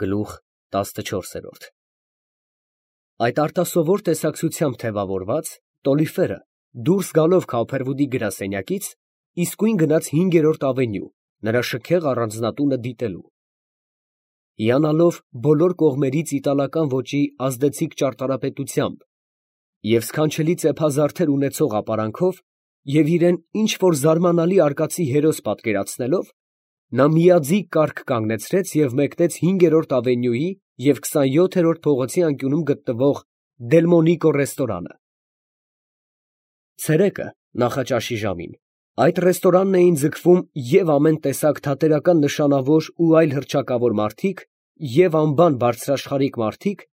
Գլուխ 14 Այդ արտասովոր տեսակցությամբ թևավորված, Տոլիֆերը դուրս գալով Քավփերվուդի գրասենյակից, իսկույն գնաց 5-րդ ավենյու, նրա շքեղ առանձնատունը դիտելու։ Հիանալով բոլոր կողմերից իտալական ոճի ազդեցիկ ճարտարապետությամբ և սքանչելի ծեփազարդեր ունեցող ապարանքով և իրան ինչ֊որ զարմանալի արկածի հերոս պատկերացնելով, նա միաձիգ կառք կանգնեցրեց և մեկնեց 5-րդ ավենյուի և 27-րդ փողոցի անկյունում գտնվող Դելմոնիկո ռեստորանը։ Ցերեկը, նախաճաշի ժամին, այդ ռեստորանն էին ձգվում և ամեն տեսակ թատերական նշանավոր ու այլ հռչակավոր մարդիկ, և անբան բարձրաշխարհիկ մարդիկ,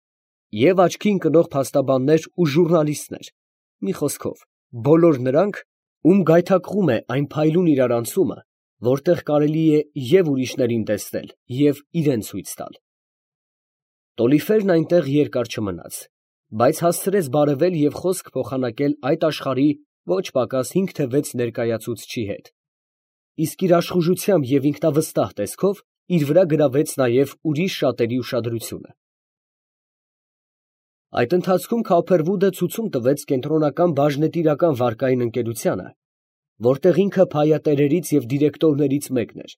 և աչքի ընկնող փաստաբաններ ու ժուռնալիստներ, մի խոսքով, բոլոր նրանք, ում գայթակղում է այն փայլուն իրարանցումը, որտեղ կարելի է և ուրիշներին տեսնել, և իրան ցույց տալ։ Տոլիֆերն այնտեղ երկար չմնաց, բայց հասցրեց բարևել և խոսք փոխանակել այդ աշխարհի ոչ պակաս 5 թե 6 ներկայացուցչի հետ, իսկ իր աշխուժությամբ և ինքնավստահ տեսքով իր վրա գրավեց նաև ուրիշ շատերի ուշադրությունը։ Այդ ընթացքում Քավփերվուդը ցուցում տվեց կենտրոնական բաժնետիրական վարկային ընկերությանը, որտեղ ինքը փայատերերից և դիրեկտորներից մեկն էր,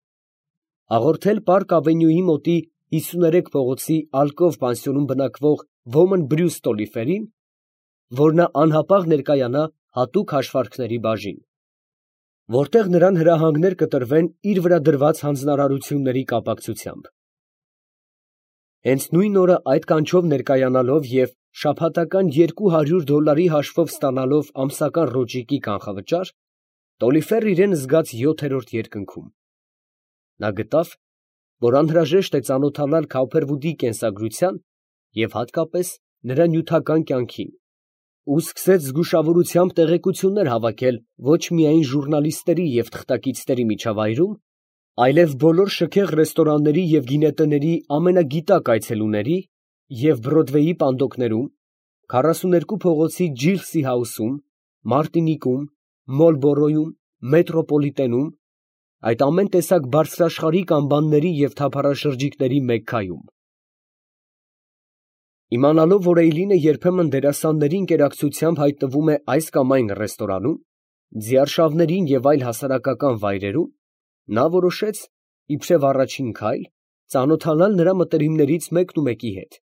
հաղորդել Պարկ ավենյուի մոտի 53 փողոցի Ալկով պանսիոնում բնակվող Ոմն Բրյուս Տոլիֆերին, որ նա անհապաղ ներկայանա հատուկ հաշվարկների բաժին, որտեղ նրան հրահանգներ կտրվեն իր վրա դրված հանձնարարությունների կապակցությամբ։ Հենց նույն օրը այդ կանչով ներկայանալով և շաբաթական $200 հաշվով ստանալով ամսական ռոճիկի կանխավճար, Տոլիֆերն իրան զգաց 7-րդ երկնքում։ Նա գտավ, որ անհրաժեշտ է ծանոթանալ Քավփերվուդի կենսագրության և հատկապես նրա նյութական կյանքին, ու սկսեց զգուշավորությամբ տեղեկություններ հավաքել ոչ միայն ժուռնալիստների և թղթակիցների միջավայրում, այլև բոլոր շքեղ ռեստորանների և գինետների ամենագիտակ այցելուների և Բրոդվեյի պանդոկներում, 42 փողոցի Ջիլսի Հաուսում, Մարտինիկում, Մոլբորոյում, Մետրոպոլիտենում, այդ ամեն տեսակ բարձրաշխարհիկ անբանների և թափառաշրջիկների Մեքքայում։ Իմանալով, որ Էյլինը երբեմն դերասանների ընկերակցությամբ հայտնվում է այս կամ այն ռեստորանում, ձիարշավներին և այլ հասարակական վայրերում, նա որոշեց, իբրև առաջին քայլ, ծանոթանալ նրա մտերիմներից մեկնումեկի հետ,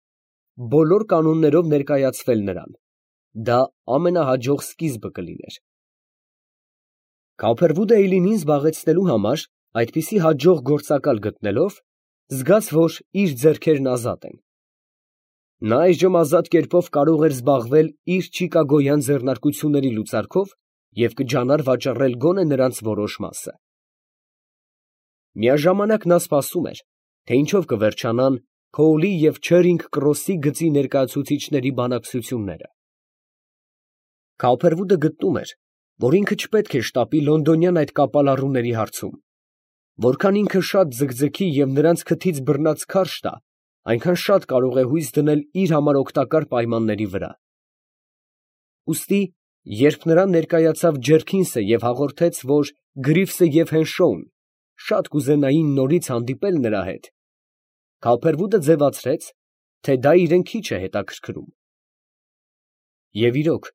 բոլոր կանոններով ներկայացվել նրան. դա ամենահաջող սկիզբը կլիներ։ Քավփերվուդը Էյլինին զբաղեցնելու համար այդպիսի հաջող գործակալ գտնելով, զգաց, որ իր ձեռքերն ազատ են։ Նա այժմ ազատ կերպով կարող էր զբաղվել իր չիկագոյան ձեռնարկությունների լուծարքով և կջանար վաճառել գոնե նրանց որոշ մասը։ Միաժամանակ նա սպասում էր, թե ինչով կվերջանան Քոուլի և Չերինգ Քրոսի գծի ներկայացուցիչների բանակցությունները։ Քավփերվուդը գտնում էր, որ ինքը չպետք է շտապի լոնդոնյան այդ կապալառուների հարցում, որքան ինքը շատ ձգձգի և նրանց քթից բռնած քարշ տա, այնքան շատ կարող է հույս դնել իր համար օգտակար պայմանների վրա։ Ուստի, երբ նրան ներկայացավ Ջերքինսը և հաղորդեց, որ Գրիվսը և Հենշոուն շատ կուզենային նորից հանդիպել նրա հետ, Քավփերվուդը ձևացրեց, թե դա իրան քիչ է հետաքրքրում։ Եվ իրոք,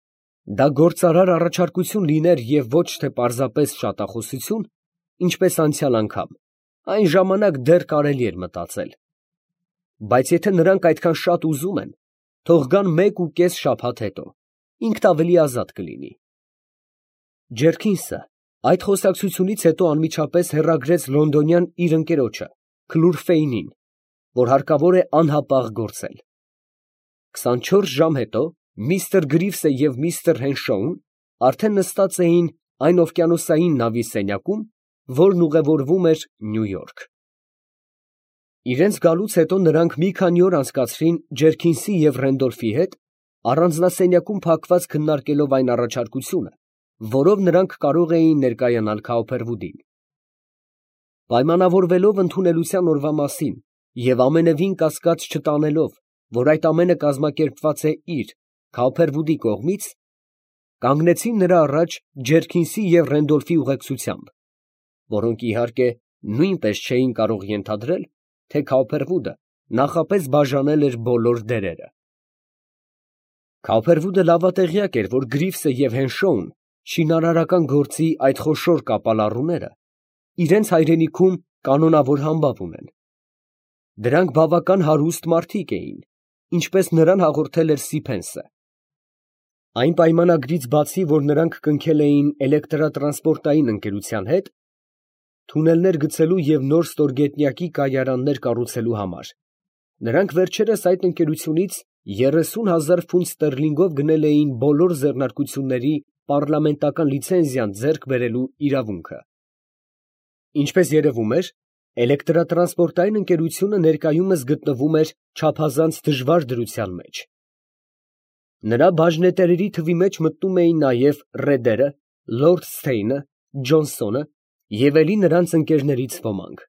դա գործարար առաջարկություն լիներ և ոչ թե պարզապես շատախոսություն, ինչպես անցյալ անգամ, այն ժամանակ դեռ կարելի էր մտածել։ Բայց եթե նրանք այդքան շատ ուզում են, թող գան 1.5 շաբաթ հետո, ինքն ավելի ազատ կլինի։ Ջերքինսը այդ խոսակցությունից հետո անմիջապես հեռագրեց լոնդոնյան իր ընկերոջը, Քլուրֆեյնին, որ հարկավոր է անհապաղ գործել։ 24 ժամ հետո միստր Գրիվսը և միստր Հենշոուն արդեն նստած էին այն օվկիանոսային նավի սենյակում, որն ուղևորվում էր Նյու Յորք։ Իրենց գալուց հետո նրանք մի քանի օր անցկացրին Ջերքինսի և Ռենդոլֆի հետ, առանձնասենյակում փակված քննարկելով այն առաջարկությունը, որով նրանք կարող էին ներկայանալ Քավփերվուդին։ Պայմանավորվելով ընդունելության օրվա մասին և ամենևին կասկած չտանելով, որ այդ ամենը կազմակերպված է իր՝ Քավփերվուդի կողմից, կանգնեցին նրա առաջ Ջերքինսի և Ռենդոլֆի ուղեկցությամբ, որոնք իհարկե նույնպես չէին կարող ենթադրել, թե Քավփերվուդը նախապես բաժանել էր բոլոր դերերը։ Քավերվուդը լավատեղյակ էր, որ Գրիվսը և Հենշոուն շինարարական գործի այդ խոշոր կապալառուները իրենց հայրենիքում կանոնավոր համբավ ունեն։ Դրանք բավական հարուստ մարդիկ էին, ինչպես նրան հաղորդել էր Սիփենսը։ Այն պայմանագրից բացի, որ նրանք կնքել էին էլեկտրատրանսպորտային ընկերության հետ, թունելներ գցելու և նոր ստորգետնյակի կայարաններ կառուցելու համար, նրանք վերջերս այդ ընկերությունից 30,000 ֆունտ ստերլինգով գնել էին բոլոր ձեռնարկությունների պառլամենտական լիցենզիան ձեռք բերելու իրավունքը։ Ինչպես երևում էր, էլեկտրատրանսպորտային ընկերությունը ներկայումս գտնվում էր չափազանց դժվար դրության մեջ։ Նրա բաժնետերերի թվի մեջ մտնում էին նաև Ռեդերը, Լորդ Սթեյնը, Ջոնսոնը և էլի նրանց ընկերներից ոմանք։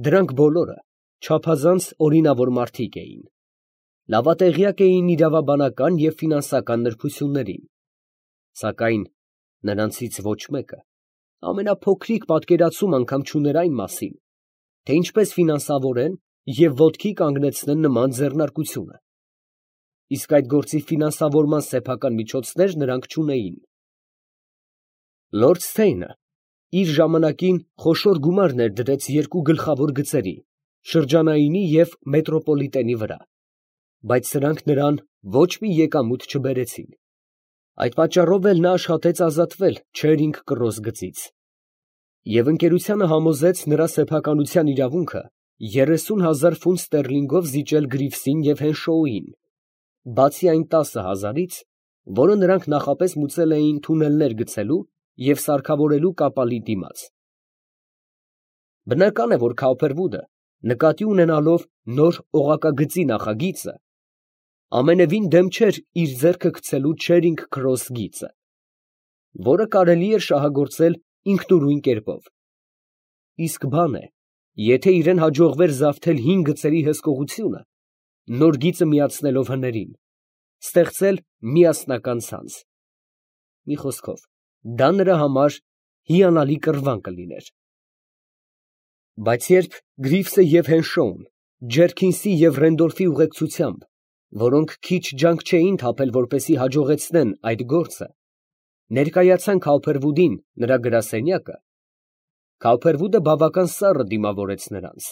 Դրանք բոլորը չափազանց օրինավոր մարդիկ էին, լավատեղյակ էին իրավաբանական և ֆինանսական նրբություններին, սակայն նրանցից ոչ մեկը ամենափոքրիկ պատկերացում անգամ չուներ այն մասին, թե ինչպես ֆինանսավորեն և ոտքի կանգնեցնեն նման ձեռնարկությունը, իսկ այդ գործի ֆինանսավորման սեփական միջոցներ նրանք չունեին։ Լորդ Սթեյնը իր ժամանակին խոշոր գումար ներդրեց երկու գլխավոր գծերի՝ շրջանայինի և մետրոպոլիտենի վրա, բայց սրանք նրան ոչ մի եկամուտ չբերեցին։ Այդ պատճառով էլ նա աշխատեց ազատվել Չերինգ Կրոս գծից և ընկերությանը համոզեց նրա սեփականության իրավունքը 30,000 ֆունտ ստերլինգով զիջել Գրիվսին և Հենշոուին, բացի այն 10,000-ից, որը նրանք նախապես մուծել էին թունելներ գցելու և սարքավորելու կապալի դիմաց։ Բնական է, որ Քավերվուդը, նկատի ունենալով նոր օղակագծի նախագիծը, ամենևին դեմ չէր իր ձեռքը գցելու Չերինգ Քրոս գիծը, որը կարելի էր շահագործել ինքնուրույն կերպով։ Իսկ բան է, եթե իրան հաջողվեր զավթել հին գծերի հսկողությունը, նոր գիծը միացնելով հներին, ստեղծել միասնական ցանց։ Մի խոսքով, դա նրա համար հիանալի կռվան կլիներ։ Բայց երբ Գրիվսը և Հենշոուն Ջերքինսի և Ռենդոլֆի ուղեկցությամբ, որոնք քիչ ջանք չէին թափել, որպեսզի հաջողեցնեն այդ գործը, ներկայացան Քավերվուդին նրա գրասենյակը, Քավերվուդը բավական սառը դիմավորեց նրանց։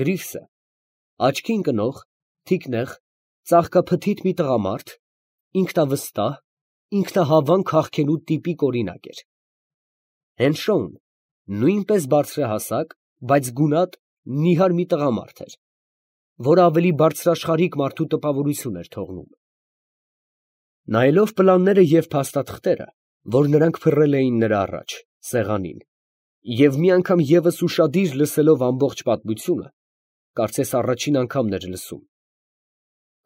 Գրիվսը աչքի ընկնող, թիկնեղ, ծաղկափթիթ մի տղամարդ, ինքնավստահ, ինքնահավան քաղքենու տիպիկ օրինակ էր։ Հենշոուն նույնպես բարձրահասակ, բայց գունատ, նիհար մի տղամարդ էր, որը ավելի բարձրաշխարհիկ մարդու տպավորություն էր թողնում։ Նայելով պլանները և փաստաթղթերը, որ նրանք փռել էին նրա առաջ, սեղանին, և մի անգամ ևս ուշադիր լսելով ամբողջ պատմությունը, կարծես առաջին անգամն էր լսում,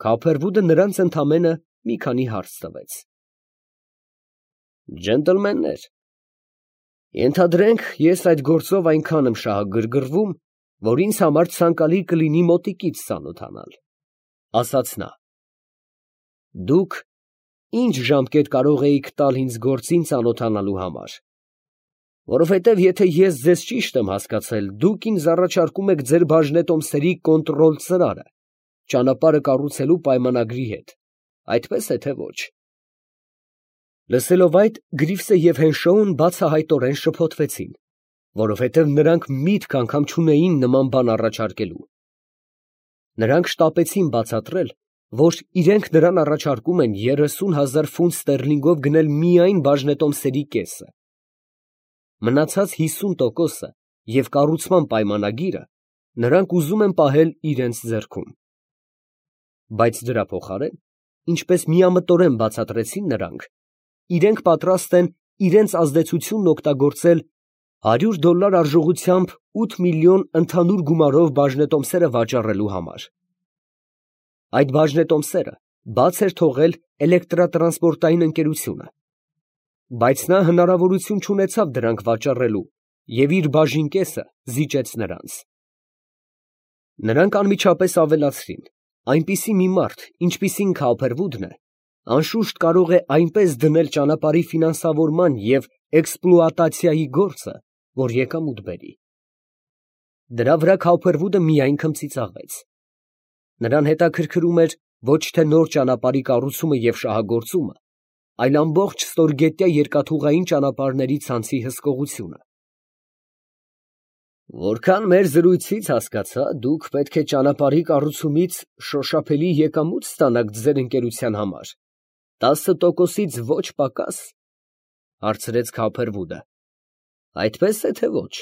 Քավերվուդը նրանց ընդամենը մի քանի հարց տվեց։ «Ջենտլմեններ, ենթադրենք, ես այդ գործով այնքան եմ շահագրգռվում, որ ինձ համար ցանկալի կլինի մոտիկից ծանոթանալ», ֊ ասաց նա։ «Դուք ի՞նչ ժամկետ կարող էիք տալ ինձ գործին ծանոթանալու համար, որովհետև եթե ես ձեզ ճիշտ եմ հասկացել, դուք ինձ առաջարկում եք ձեր բաժնետոմսերի կոնտրոլ ծրարը, ճանապարհը կառուցելու պայմանագրի հետ, այդպես է թե ոչ»։ Լսելով այդ, Գրիվսը և Հենշոուն բացահայտորեն շփոթվեցին, որովհետև նրանք միտք անգամ չունեին նման բան առաջարկելու։ Նրանք շտապեցին բացատրել, որ իրենք նրան առաջարկում են 30,000 ֆունտ ստերլինգով գնել միայն բաժնետոմսերի կեսը։ Մնացած 50%-ը և կառուցման պայմանագիրը նրանք ուզում են պահել իրենց ձեռքում։ Բայց դրա փոխարեն, ինչպես միամտորեն բացատրեցին նրանք, իրենք պատրաստ են իրենց ազդեցությունն օգտագործել $100 արժողությամբ 8 միլիոն ընդհանուր գումարով բաժնետոմսերը վաճառելու համար։ Այդ բաժնետոմսերը բաց էր թողել էլեկտրատրանսպորտային ընկերությունը, բայց նա հնարավորություն չունեցավ դրանք վաճառելու և իր բաժին կեսը զիջեց նրանց։ Նրանք անմիջապես ավելացրին. այնպիսի մի մարդ, ինչպիսին Քավերվուդն է, անշուշտ կարող է այնպես դնել ճանապարհի ֆինանսավորման և էքսպլուատացիայի գործը, որ եկամուտ բերի։ Դրա վրա Քավփերվուդը միայն քմծիծաղեց։ Նրան հետաքրքրում էր ոչ թե նոր ճանապարհի կառուցումը և շահագործումը, այլ ամբողջ ստորգետնյա երկաթուղային ճանապարհների ցանցի հսկողությունը։ Որքան մեր զրույցից հասկացա, դուք պետք է ճանապարհի կառուցումից շոշափելի եկամուտ ստանաք ձեր ընկերության համար, 10%-ից ոչ պակաս, հարցրեց Քավփերվուդը։ Այդպես է թե ոչ։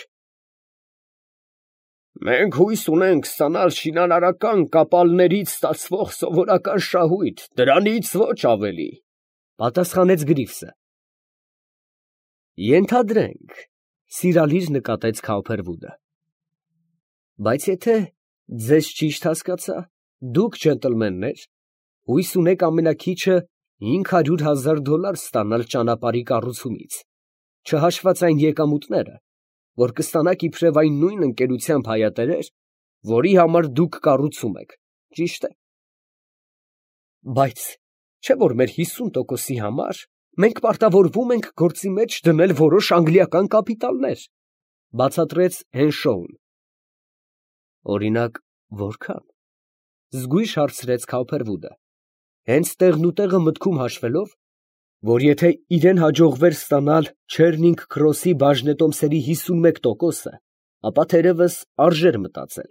Մենք հույս ունենք ստանալ շինարարական կապալներից ստացվող սովորական շահույթ, դրանից ոչ ավելի, պատասխանեց Գրիվսը։ Ենթադրենք, սիրալիր նկատեց Քավփերվուդը։ Բայց եթե ձեզ ճիշտ հասկացա, դուք, ջենտլմեններ, հույս ունեք ամենաքիչը $500,000 ստանալ ճանապարհի կառուցումից, չհաշված այն եկամուտները, որ կստանաք իբրև այն նույն ընկերությամբ հայատերեր, որի համար դուք կառուցում եք, ճի՞շտ է։ Բայց չէ՞ որ մեր 50%-ի համար մենք պարտավորվում ենք գործի մեջ դնել որոշ անգլիական կապիտալներ, բացատրեց Հենշոուն։ Օրինակ, որքա՞ն, զգույշ հարցրեց Քավփերվուդը, հենց տեղնուտեղը մտքում հաշվելով, որ եթե իրեն հաջողվեր ստանալ Չերնինգ Քրոսի բաժնետոմսերի 51%-ը, ապա թերևս արժեր մտածել։